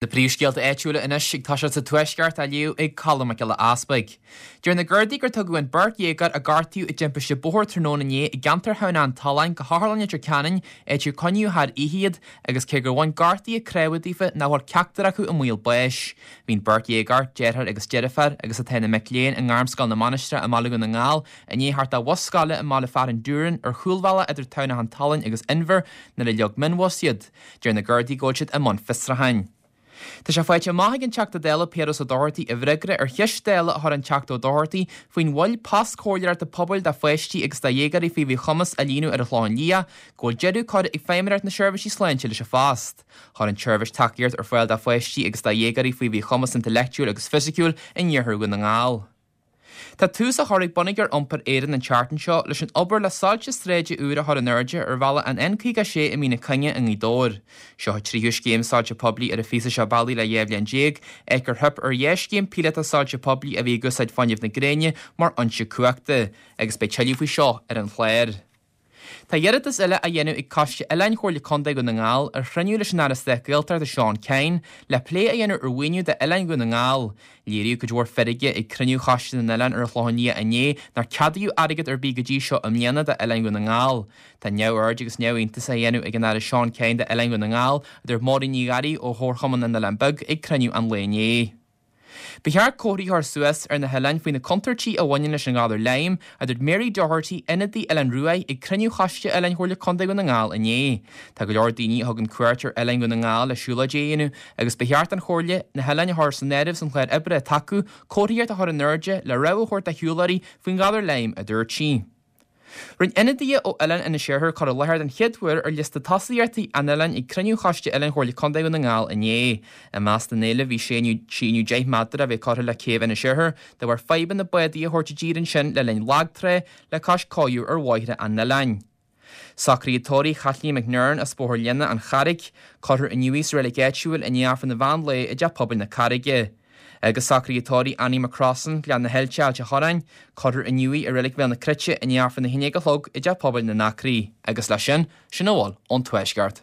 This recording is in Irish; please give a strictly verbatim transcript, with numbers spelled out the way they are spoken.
Na príomhscéalta áitiúla anois ag toiseacht sa Tuaisceart á léamh ag Colm Mac Giolla Easpaig. Deir na Gardaí gur tugadh an beirt dhéagóir a gortaíodh i dtimpiste bóthair tráthnóna inné i gceantar Thamhnach an tSuláin go hOtharlann Leitir Ceanainn, áit ar coinníodh thar oíche iad, agus cé gur bhain gortuithe cnámha daofa nach bhfuil ceachtar acu i mbaol báis. Bhí an beirt dhéagóir, deartháir agus deirfiúr, agus atá ina mic léinn i nGairmscoil na Mainistreach i mBaile Dhún na nGall, i ndiaidh theacht ó bhus scoile i mbaile fearainn Dúrainn ar chúlbhealach idir Tamhnach an tSuláin agus Inbhir nuair a leag mionbhus iad. Deir na Gardaí go bhfuil siad i mbun fiosrúcháin. Tá sé faighte amach ag an Teachta Dála Piaras Ó Dochartaigh i bhfreagra ar cheist Dála a chuir an Teachta Ó Dochartaigh faoin mhoill post comhairleoireachta pobail do pháistí agus do dhéagóirí faoi mhíchumas a líonadh ar an Chlochán Liath, go bhfuil deireadh curtha ag Feidhmeannacht na Seirbhísí Sláinte leis an phost. Chuir an tseirbhís tacaíocht ar fáil do pháistí agus do dhéagóirí faoi mhíchumas intleachtúil agus fisiciúil in iarthar Dhún na nGall. Tá tús á chur ag Bonneagar Iompair Éireann an tseachtain seo leis an obair le soilse sráide úr a chur in airde ar bhealach an N caoga a sé i Mín na Cuinge i nGaoth Dobhair. Seo an tríú scéim soilse poiblí ar an phíosa seo bealaigh le dhá bhliain déag, áit gur theip ar dhá scéim píolótach soilse poiblí a bhí ag úsáid fuinneamh na gréine mar fhoinse cumhachta, agus beidh tuilleadh faoi seo ar an chlár. Tá iarratas eile á dhéanamh ag Coiste Oileáin Chomhairle Contae Dhún na nGall ar chruinniú leis an Aire Stáit Gaeltachta Seán Kyne le plé a dhéanamh ar mhaoiniú d'Oileáin Dhún na nGall. Léiríodh cuid mhór feirge ag cruinniú Choiste na nOileán ar an Chlochán Liath inné nár ceadaíodh airgead ar bith go dtí seo i mbliana d'Oileáin Dhún na nGall. Tá neamhaird agus neamhiontas á dhéanamh ag an Aire Seán Kyne d'Oileáin Dhún na nGall, a dúirt Máirín Ní Ghearraigh ó Chomharchumann na nOileán Beag ag cruinniú an lae inné. Ba cheart comharthaí a chur suas ar na hoileáin faoi na contúirtí a bhaineann leis an ghalar Lyme, a dúirt Mary Doherty, ionadaí Oileán Ruaidh, ag cruinniú Choiste Oileáin Chomhairle Contae Dhún na nGall inné. Tá go leor daoine a thugann cuairt ar Oileáin Dhún na nGall le siúlóidí a dhéanamh agus ba cheart don Chomhairle na hoileáin a chur san áireamh san chlár oibre atá acu, comharthaíocht a chur in airde le rabhadh a thabhairt do shiúlóirí faoin ghalar Lyme, a dúirt sí. Rinne ionadaithe ó Oileán Inis Oirthir cur i láthair den chéad uair ar liosta tosaíochtaí an oileáin ag cruinniú Choiste Oileáin Chomhairle Contae Dhún na nGall inné. I measc na n-éileamh bhí síneadh síneadh deich méadar a bheith curtha le céibh Inis Oirthir de bharr fadhbanna bádaí a thabhairt i dtír ansin le linn lagtrá le cois cófhiú ar bhóithre an oileáin. Socruithe tórraimh Chaitlín McNern as Bóthar Léana, An Charraig. Cuirfear inniu í sa reilig áitiúil i ndiaidh Aifreann an mheán lae i dTeach Pobail na Carraige. Agus socruithe tórraimh Annie McCrossan, Gleann na hAilte, Ailt an Chorráin. Cuirfear inniu í i reilig Bhéal na Cruite i ndiaidh Aifreann a haon déag a chlog i dTeach Pobail na nAcraí. Agus leis sin, sin a bhfuil ón Tuaisceart.